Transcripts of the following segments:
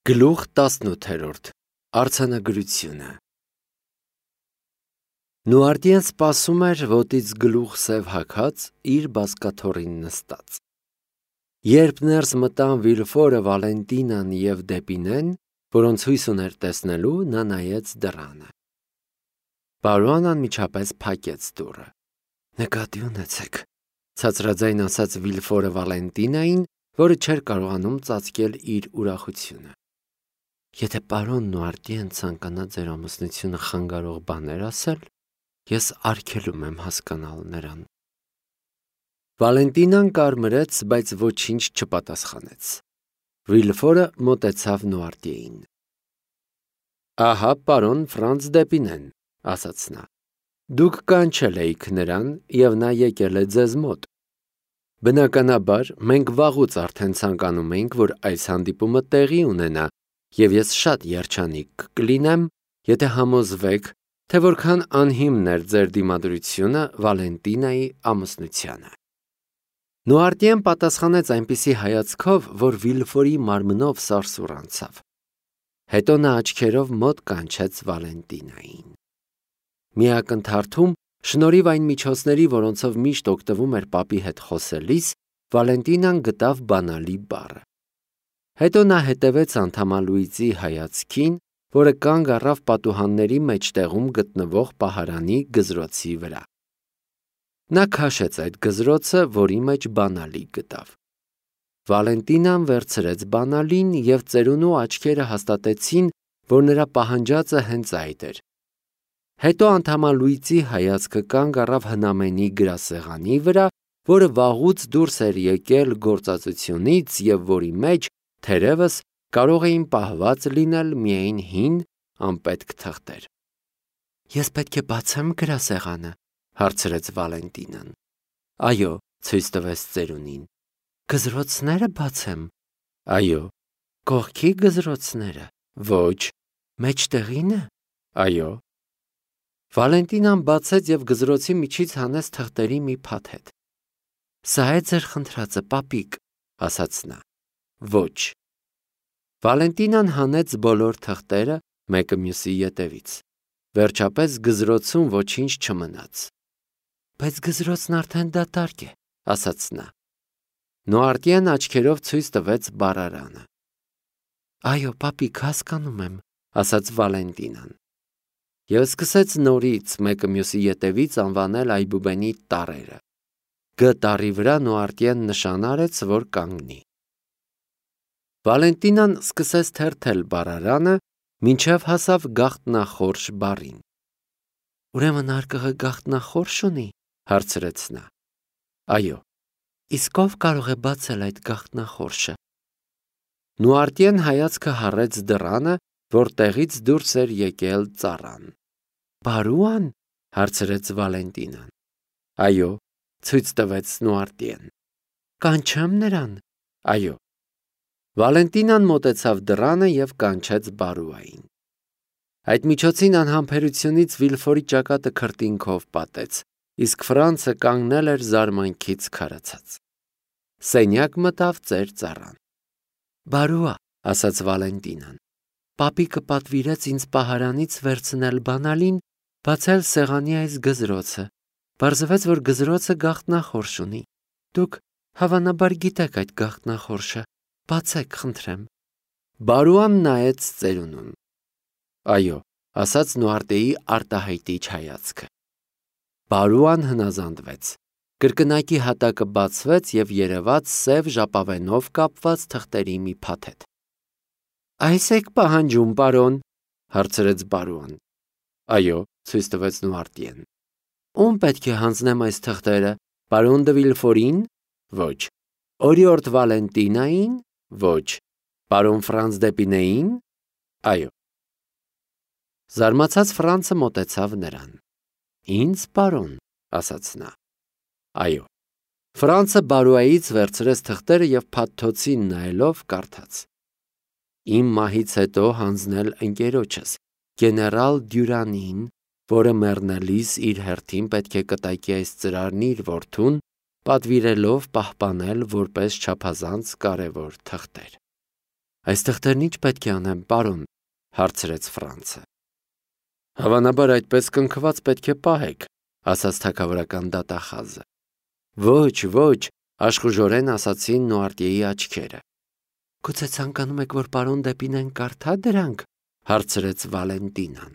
Գլուխ 18 Արձանագրությունը Նուարտիեն սպասում էր ոտից գլուխ սև հագած իր բազկաթոռին նստած։ Երբ ներս մտան Վիլֆորը, Վալենտինան և Դեպինեն, որոնց հույս ուներ տեսնելու, նա նայեց դռանը։ Բարոն անմիջապես փակեց դուռը։ Նկատի ունեցեք, ցածրաձայն ասաց Վիլֆորը Վալենտինային, որը չէր կարողանում ծածկել իր ուրախությունը։ Եթե պարոն Նուարտիեն ցանկանա ձեր ամուսնությունը խանգարող բաներ ասել, ես արգելում եմ հասկանալ նրան։ Վալենտինան կարմրեց, բայց ոչինչ չպատասխանեց։ Վիլֆորը մոտեցավ Նուարտիեին։ Ահա պարոն Ֆրանց Դեպինեն, ասաց նա։ Դուք կանչել էիք նրան, և նա եկել է ձեզ մոտ։ Բնականաբար, մենք վաղուց արդեն ցանկանում էինք, որ այս հանդիպումը տեղի ունենա, և ես շատ երջանիկ կլինեմ, եթե համոզվեք, թե որքան անհիմն էր ձեր դիմադրությունը Վալենտինայի ամուսնությանը։ Նուարտիեն պատասխանեց այնպիսի հայացքով, որ Վիլֆորի մարմնով սարսուռ անցավ։ Հետո նա աչքերով մոտ կանչեց Վալենտինային։ Մի ակնթարթում, շնորհիվ այն միջոցների, որոնցով միշտ օգտվում էր պապի հետ խոսելիս, Վալենտինան գտավ բանալի բառը։ Հետո նա հետևեց անդամալուիծի հայացքին, որը կանգ առավ պատուհանների մեջտեղում գտնվող պահարանի գզրոցի վրա։ Նա քաշեց այդ գզրոցը, որի մեջ բանալի գտավ։ Վալենտինան վերցրեց բանալին և ծերունու աչքերը հաստատեցին, որ նրա պահանջածը հենց այդ էր։ Հետո անդամալուիծի հայացքը կանգ առավ հնամենի գրասեղանի վրա, որը վաղուց դուրս էր եկել գործածությունից և որի մեջ, թերևս, կարող էին պահված լինել միայն հին, անպետք թղթեր։ Ես պետք է բացեմ գրասեղանը, հարցրեց Վալենտինան։ Այո, ցույց տվեց ծերունին։ Գզրոցները բացեմ։ Այո։ Կողքի գզրոցները։ Ոչ։ Մեջտեղինը։ Այո։ Վալենտինան բացեց և գզրոցի միջից հանեց թղթերի մի փաթեթ։ Սա է ձեր խնդրածը, պապիկ, ասաց նա։ Ոչ։ Վալենտինան հանեց բոլոր թղթերը, մեկը մյուսի ետևից։ Վերջապես գզրոցում ոչինչ չմնաց։ Բայց գզրոցն արդեն դատարկ է, ասաց նա։ Նուարտիեն աչքերով ցույց տվեց բառարանը։ Այո, պապիկ, հասկանում եմ, ասաց Վալենտինան։ Եվ սկսեց նորից մեկը մյուսի ետևից անվանել այբուբենի տառերը։ Գ տառի վրա Նուարտիեն նշան արեց, որ կանգնի։ Վալենտինան սկսեց թերթել բառարանը, մինչև հասավ գաղտնախորշ բառին։ Ուրեմն արկղը գաղտնախորշ ունի, հարցրեց նա։ Այո։ Իսկ ով կարող է բացել այդ գաղտնախորշը։ Նուարտիեն հայացքը հառեց դռանը, որտեղից դուրս էր եկել ծառան։ Բարուան, հարցրեց Վալենտինան։ Այո, ցույց տվեց Նուարտիեն։ Կանչեմ նրան։ Այո։ Վալենտինան մոտեցավ դռանը և կանչեց Բարուային։ Այդ միջոցին անհամբերությունից Վիլֆորի ճակատը քրտինքով պատեց, իսկ Ֆրանցը կանգնել էր զարմանքից քարացած։ Սենյակ մտավ ծեր ծառան։ Բարուա, ասաց Վալենտինան։ Պապիկը պատվիրեց ինձ պահարանից վերցնել բանալին, բացել սեղանի այս գզրոցը։ Պարզվեց, որ գզրոցը գաղտնախորշ ունի։ Դուք հավանաբար գիտեք այդ գաղտնախորշը։ Բացեք, խնդրեմ։ Բարուան նայեց ծերունուն։ Այո, ասաց Նուարտիեի արտահայտիչ հայացքը։ Բարուան հնազանդվեց։ Կրկնակի հատակը բացվեց և երևաց սև ժապավենով կապված թղթերի մի փաթեթ։ Այս եք պահանջում, պարոն, հարցրեց Բարուան։ Այո, ցույց տվեց Նուարտիեն։ Ում պետք է հանձնեմ այս թղթերը, պարոն դը Վիլֆորին։ Ոչ։ Օրիորդ Վալենտինային։ Ոչ։ Պարոն Ֆրանց Դեպինեին։ Այո։ Զարմացած Ֆրանցը մոտեցավ նրան։ Ինձ, պարոն, ասաց նա։ Այո։ Ֆրանցը Բարուայից վերցրեց թղթերը և փաթթոցին նայելով կարդաց. Իմ մահից հետո հանձնել ընկերոջս, գեներալ Դյուրանին, որը մեռնելիս իր հերթին պետք է կտակի այս ծրարն իր որդուն, պատվիրելով պահպանել որպես չափազանց կարևոր թղթեր։ Այս թղթերն ինչ պետք է անեմ, պարոն, հարցրեց Ֆրանցը։ Հավանաբար այդպես կնքված պետք է պահեք, ասաց թագավորական դատախազը։ Ոչ, աշխուժորեն ասացին Նուարտիեի աչքերը։ Գուցե ցանկանում եք, որ պարոն Դեպինեն կարդա դրանք, հարցրեց Վալենտինան։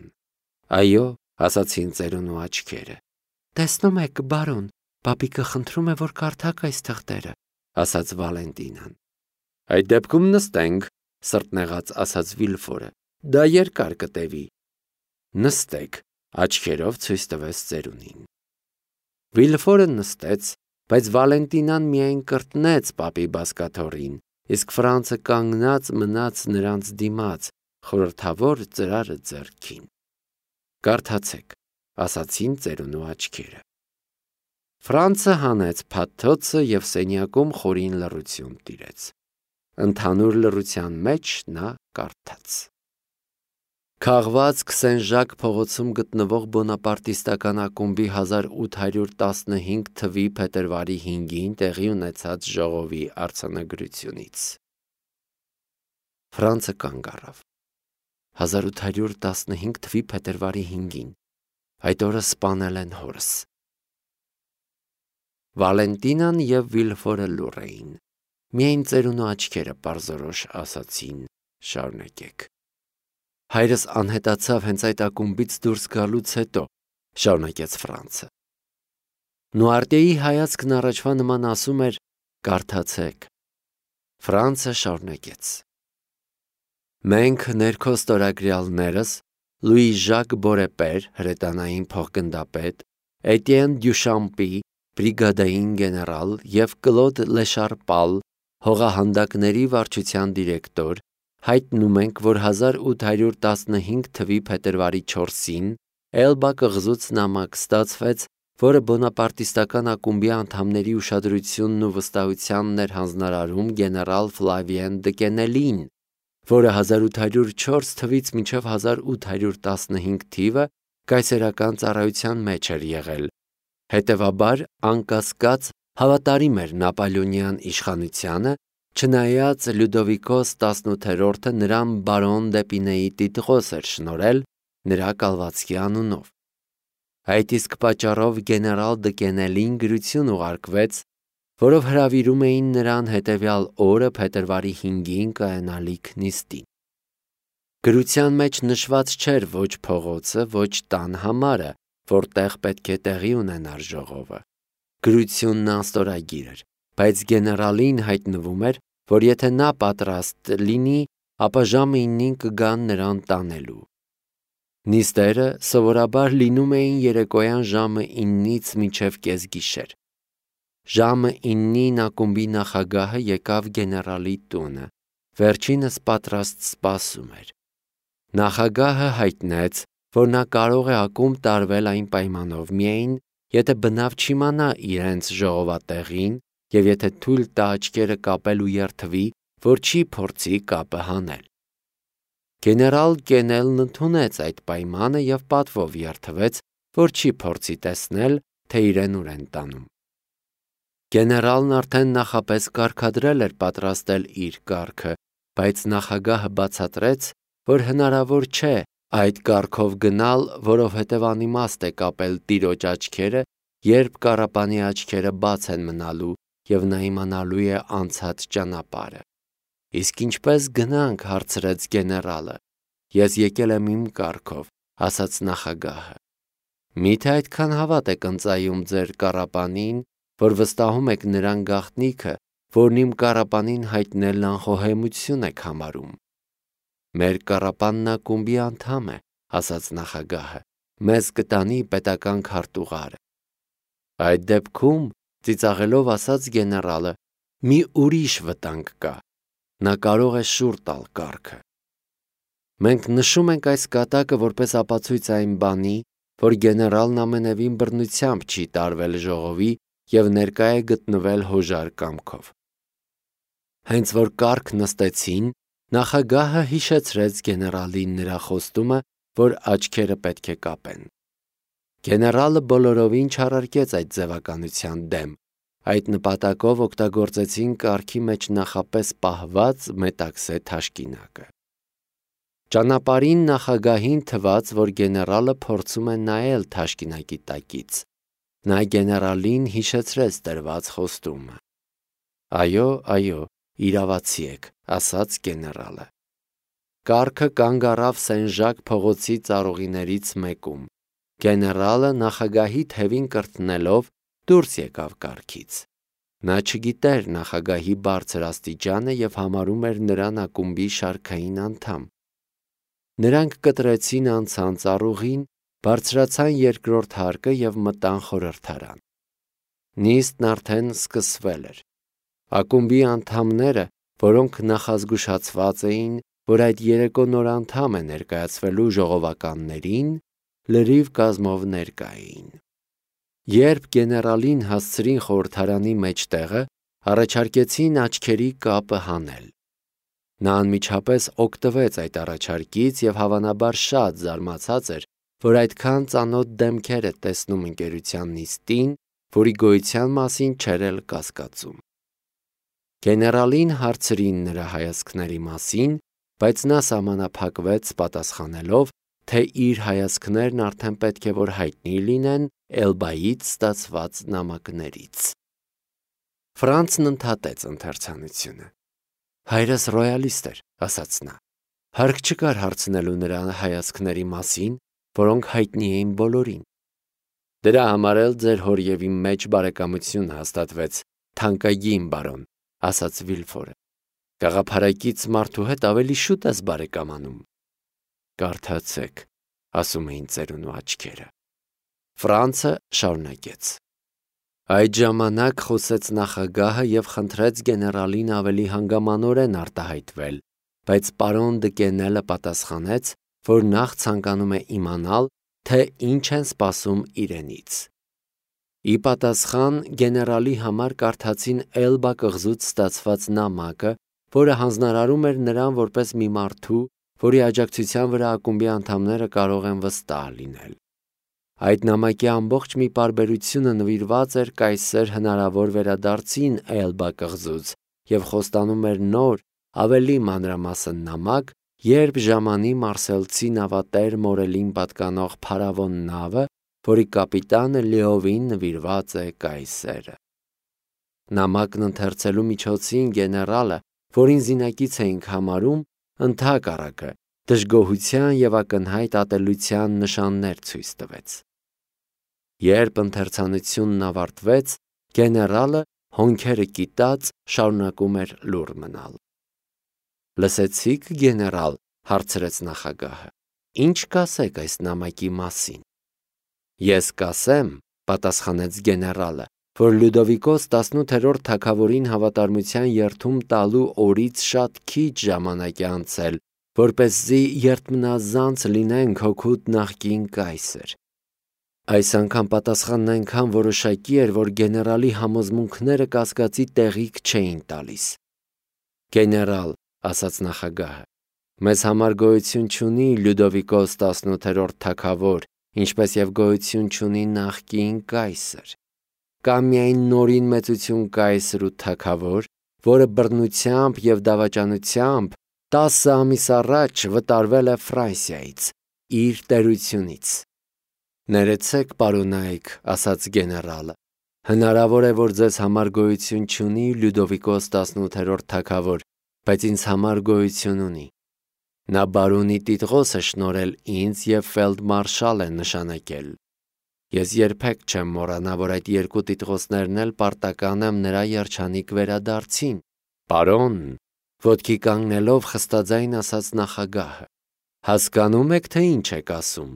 Այո, ասացին ծերունու աչքերը։ Տեսնում եք, բարոն, պապիկը խնդրում է, որ կարդաք այս թղթերը, ասաց Վալենտինան։ Այդ դեպքում նստենք, սրտնեղած ասաց Վիլֆորը։ Դա երկար կտևի։ Նստեք, աչքերով ցույց տվեց ծերունին։ Վիլֆորը նստեց, բայց Վալենտինան միայն կրտնեց պապի բազկաթոռին, իսկ Ֆրանցը կանգնած մնաց նրանց դիմաց, խորհրդավոր ծրարը ձեռքին։ Կարդացեք, ասացին ծերունու աչքերը։ Ֆրանցը հանեց փաթթոցը և սենյակում խորին լռություն տիրեց։ Ընդհանուր լռության մեջ նա կարդաց. Քաղված Քսենժակ փողոցում գտնվող բոնապարտիստական ակումբի 1815 թվականի փետրվարի 5-ին տեղի ունեցած ժողովի արձանագրությունից։ Ֆրանցը կանգ առավ։ 1815 թվականի փետրվարի 5-ին այդ օրը սպանել են հորս։ Վալենտինան և Վիլֆորը լուռ էին։ Միայն ծերունու աչքերը պարզորոշ ասացին. շարունակեք։ Հայրս անհետացավ հենց այդ ակումբից դուրս գալուց հետո, շարունակեց Ֆրանցը։ Նուարտիեի հայացքն առաջվա նման ասում էր. կարդացեք։ Ֆրանցը շարունակեց. Մենք ներքո ստորագրյալներս Լուի Ժակ Բորեպեր, հրետանային փոխգնդապետ, Էտիեն Դյուշամպի, բրիգադային գեներալ և Կլոդ Լեշարպալ, հողահանդակների վարչության դիրեկտոր, հայտնում ենք, որ 1815 թվականի փետրվարի 4-ին Էլբա կղզուց նամակ ստացվեց, որը բոնապարտիստական ակումբի անդամների ուշադրությունն ու վստահությանն էր հանձնարարում գեներալ Ֆլավիեն Դկենելին, որը 1804 թվականից մինչև 1815 թիվը կայսերական ծառայության մեջ էր եղել, հետևաբար անկասկած հավատարիմ էր նապոլեոնյան իշխանությանը, չնայած Լյուդովիկոս 18-րդը նրան բարոն Դեպինեի տիտղոս էր շնորհել նրա կալվածքի անունով։ Այդ իսկ պատճառով գեներալ Դկենելին գրություն ուղարկվեց, որով հրավիրում էին նրան հետևյալ օրը փետրվարի 5-ին կայանալիք նիստին։ Գրության մեջ նշված չէր ոչ փողոցը, ոչ տան համարը, որտեղ պետք է տեղի ունենար ժողովը։ Գրությունն անստորագիր էր, բայց գեներալին հայտնվում էր, որ եթե նա պատրաստ լինի, ապա ժամը 9-ին կգան նրան տանելու։ Նիստերը սովորաբար լինում էին երեկոյան ժամը 9-ից մինչև կեսգիշեր։ Ժամը 9-ին ակումբի նախագահը եկավ գեներալի տունը, վերջինս պատրաստ սպասում էր։ Նախագահը հայտնեց, որ նա կարող է ակումբ տարվել այն պայմանով միայն, եթե բնավ չիմանա իրենց ժողովատեղին և եթե թույլ տա աչքերը կապել ու երդվի, որ չի փորձի կապը հանել։ Գեներալ Կենելն ընդունեց այդ պայմանը և պատվով երդվեց, որ չի փորձի տեսնել, թե իրեն ուր են տանում։ Գեներալն արդեն նախապես կարգադրել էր պատրաստել իր կարգը, բայց նախագահը բացատրեց, որ հնարավոր չէ այդ կարգով գնալ, որովհետև անիմաստ է կապել տիրոջ աչքերը, երբ կառապանի աչքերը բաց են մնալու և նա իմանալու է անցած ճանապարհը։ Իսկ ինչպես գնանք, հարցրեց գեներալը։ Ես եկել եմ իմ կարգով, ասաց նախագահը։ Միթե այդքան հավատ եք ընծայում ձեր կառապանին, որ վստահում եք նրան գաղտնիքը, որն իմ կառապանին հայտնելն անխոհեմություն եք համարում։ Մեր կառապանն ակումբի անդամ է, ասաց նախագահը, մեզ կտանի պետական քարտուղարը։ Այդ դեպքում, ծիծաղելով ասաց գեներալը, մի ուրիշ վտանգ կա, նա կարող է շուռ տալ կարգը։ Մենք նշում ենք այս կատակը որպես ապացույց այն բանի, որ գեներալն ամենևին բռնությամբ չի տարվել ժողովի և ներկա է գտնվել հոժար կամքով։ Հենց որ կարգ նստեցին, նախագահը հիշեցրեց գեներալին նրա խոստումը, որ աչքերը պետք է կապեն։ Գեներալը բոլորովին չարարկեց այդ ձևականության դեմ, Այդ նպատակով օգտագործեցին կարգի մեջ նախապես պահված մետաքսե թաշկինակը։ Ճանապարհին նախագահին թվաց, որ գեներալը փորձում է նայել թաշկինակի տակից։ Նա գեներալին հիշեցրեց տրված խոստումը։ Այո, իրավացի եք, ասաց գեներալը։ Կառքը կանգ առավ Սեն-Ժակ փողոցի ծառուղիներից մեկում։ Գեներալը նախագահի թևին կրտնելով դուրս եկավ կառքից։ Նա չգիտեր նախագահի բարձր աստիճանը և համարում էր նրան ակումբի շարքային անդամ։ Նրանք կտրեցին անցան ծառուղին, բարձրացան երկրորդ հարկը և մտան խորհրդարան։ Նիստն արդեն սկսվել էր։ Ակումբի անդամները, որոնք նախազգուշացված էին, որ այդ երեկո նոր անդամ է ներկայացվելու ժողովականներին, լրիվ կազմով ներկա էին։ Երբ գեներալին հասցրին խորհրդարանի մեջտեղը, առաջարկեցին աչքերի կապը հանել։ Նա անմիջապես օգտվեց այդ առաջարկից և հավանաբար շատ զարմացած էր, որ այդքան ծանոթ դեմքեր է տեսնում ընկերության նիստին, որի գոյության մասին չէր էլ կասկածում։ Գեներալին հարցրին նրա հայացքների մասին, բայց նա սահմանափակվեց պատասխանելով, թե իր հայացքներն արդեն պետք է որ հայտնի լինեն Էլբայից ստացված նամակներից։ Ֆրանցն ընդհատեց ընթերցանությունը։ Հայրս ռոյալիստ էր, ասաց նա։ Հարկ չկար հարցնելու նրա հայացքների մասին, որոնք հայտնի էին բոլորին։ Դրա համար էլ ձեր հոր և իմ մեջ բարեկամություն հաստատվեց, թանկագին բարոն, ասաց Վիլֆորը։ Գաղափարակից մարդու հետ ավելի շուտ ես բարեկամանում։ Կարդացեք, ասում էին ծերունու աչքերը։ Ֆրանցը շարունակեց. Այդ ժամանակ խոսեց նախագահը և խնդրեց գեներալին ավելի հանգամանորեն արտահայտվել, բայց պարոն Դկենելը պատասխանեց, որ նախ ցանկանում է իմանալ, թե ինչ են սպասում իրենից։ Ի պատասխան գեներալի համար կարդացին Էլբա կղզուց ստացված նամակը, որը հանձնարարում էր նրան որպես մի մարդու, որի աջակցության վրա ակումբի անդամները կարող են վստահ լինել։ Այդ նամակի ամբողջ մի պարբերությունը նվիրված էր կայսեր հնարավոր վերադարձին Էլբա կղզուց և խոստանում էր նոր, ավելի մանրամասն նամակ, երբ ժամանի մարսելցի նավատեր Մորելին պատկանող փարավոն նավը, որի կապիտանը լիովին նվիրված է կայսերը։ Նամակն ընթերցելու միջոցին գեներալը, որին զինակից էինք համարում, ընդհակառակը դժգոհության և ակնհայտ ատելության նշաններ ցույց տվեց։ Երբ ընթերցանությունն ավարտվեց, գեներալը հոնքերը կիտած շարունակում էր լուռ մնալ։ Լսեցիք, գեներալ, հարցրեց նախագահը, ինչ կասեք այս նամակի մասին։ Ես կասեմ, պատասխանեց գեներալը, որ Լյուդովիկոս 18-րդ թագավորին հավատարմության երդում տալու օրից շատ քիչ ժամանակ է անցել, որպեսզի երդմնազանց լինենք հօգուտ նախկին կայսեր։ Այս անգամ պատասխանն այնքան որոշակի էր, որ գեներալի համոզմունքները կասկածի տեղիք չէին տալիս։ Գեներալ, ասաց նախագահը, մեզ համար գոյություն չունի Լյուդովիկոս 18-րդ թագավոր, ինչպես եւ գոյություն չունի նախկին կայսր։ Կա միայն նորին մեծություն կայսր ու թագավոր, որը բռնությամբ եւ դավաճանությամբ 10 ամիս առաջ վտարվել է Ֆրանսիայից, իր տերությունից։ Ներեցեք, պարոնայք, ասաց գեներալը, հնարավոր է, որ ձեզ համար գոյություն չունի Լյուդովիկոս 18-րդ թագավոր, բայց ինձ համար գոյություն ունի։ Նա բարոնի տիտղոս է շնորհել ինձ և ֆելդմարշալ է նշանակել։ Ես երբեք չեմ մոռանա, որ այդ երկու տիտղոսներն էլ պարտական եմ նրա երջանիկ վերադարձին։ Պարոն, ոտքի կանգնելով խստաձայն ասաց նախագահը, հասկանում եք, թե ինչ եք ասում։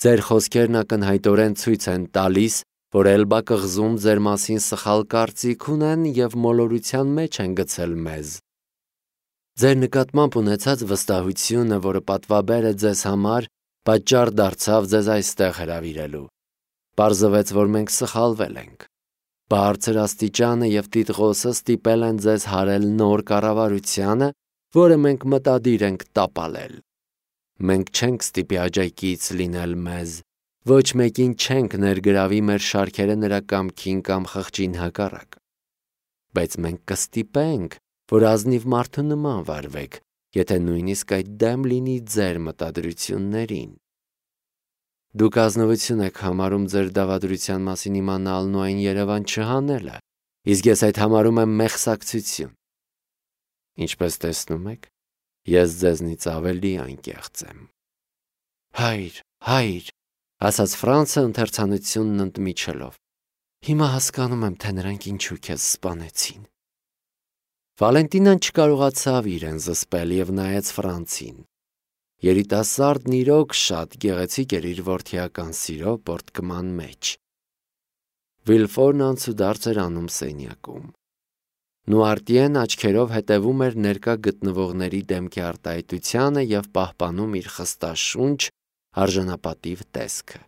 Ձեր խոսքերն ակնհայտորեն ցույց են տալիս, որ Էլբա կղզում ձեր մասին սխալ կարծիք ունեն և մոլորության մեջ են գցել մեզ։ Ձեր նկատմամբ ունեցած վստահությունը, որը պատվաբեր է ձեզ համար, պատճառ դարձավ ձեզ այստեղ հրավիրելու։ Պարզվեց, որ մենք սխալվել ենք։ Բարձր աստիճանը և տիտղոսը ստիպել են ձեզ հարել նոր կառավարությանը, որը մենք մտադիր ենք տապալել։ Մենք չենք ստիպի աջակից լինել մեզ, ոչ մեկին չենք ներգրավի մեր շարքերը նրա կամքին կամ խղճին հակառակ։ բայց մենք կստիպենք, որ ազնիվ մարդու նման վարվեք, եթե նույնիսկ այդ դեմ լինի ձեր մտադրություններին։ Դուք ազնվություն եք համարում ձեր դավադրության մասին իմանալն ու այն Երևան չհանելը, իսկ ես այդ համարում եմ մեղսակցություն։ Ինչպես տեսնում եք, ես ձեզնից ավելի անկեղծ եմ։ Հայր, ասաց Ֆրանցը ընթերցանությունն ընդմիջելով, հիմա հասկանում եմ, թե նրանք ինչու քեզ սպանեցին։ Վալենտինան չկարողացավ իրեն զսպել և նայեց Ֆրանցին։ Երիտասարդն իրոք շատ գեղեցիկ էր իր որդիական սիրո պոռթկման մեջ։ Վիլֆորն անցուդարձ էր անում սենյակում։ Նուարտիեն աչքերով հետևում էր ներկա գտնվողների դեմքի արտահայտությանը և պահպանում իր խստաշունչ, արժանապատիվ տեսքը։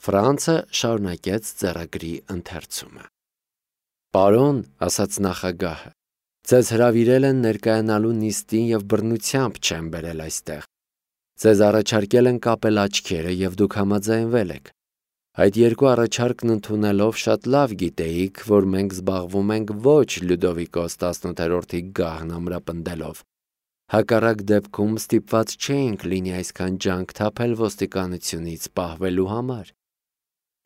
Ֆրանցը շարունակեց ձեռագրի ընթերցումը։ Պարոն, ասաց նախագահը, ձեզ հրավիրել են ներկայանալու նիստին և բռնությամբ չեն բերել այստեղ։ Ձեզ առաջարկել են կապել աչքերը և դուք համաձայնվել եք։ Այդ երկու առաջարկն ընդունելով շատ լավ գիտեիք, որ մենք զբաղվում ենք ոչ Լյուդովիկոս 18-րդի գահն ամրապնդելով։ Հակառակ դեպքում ստիպված չէինք լինի այսքան ջանք թափել ոստիկանությունից պահվելու համար։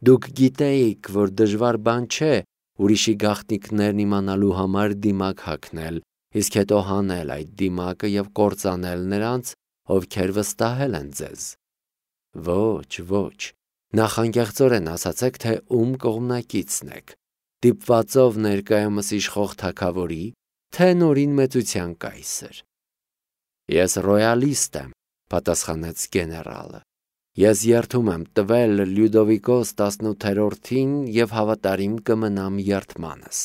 Դուք գիտեիք, որ դժվար բան չէ ուրիշի գաղտնիքներն իմանալու համար դիմակ հագնել, իսկ հետո հանել այդ դիմակը և կործանել նրանց, ովքեր վստահել են ձեզ։ Ոչ, նախանկեղծորեն ասացեք, թե ում կողմնակիցն եք, դիպվածով ներկայումս իշխող թագավորի, թե նորին մեծության կայսր։ Ես ռոյալիստ եմ, պատասխանեց գեներալը։ Ես երդում եմ տվել Լյուդովիկոս 18-ին և հավատարիմ կմնամ երդմանս։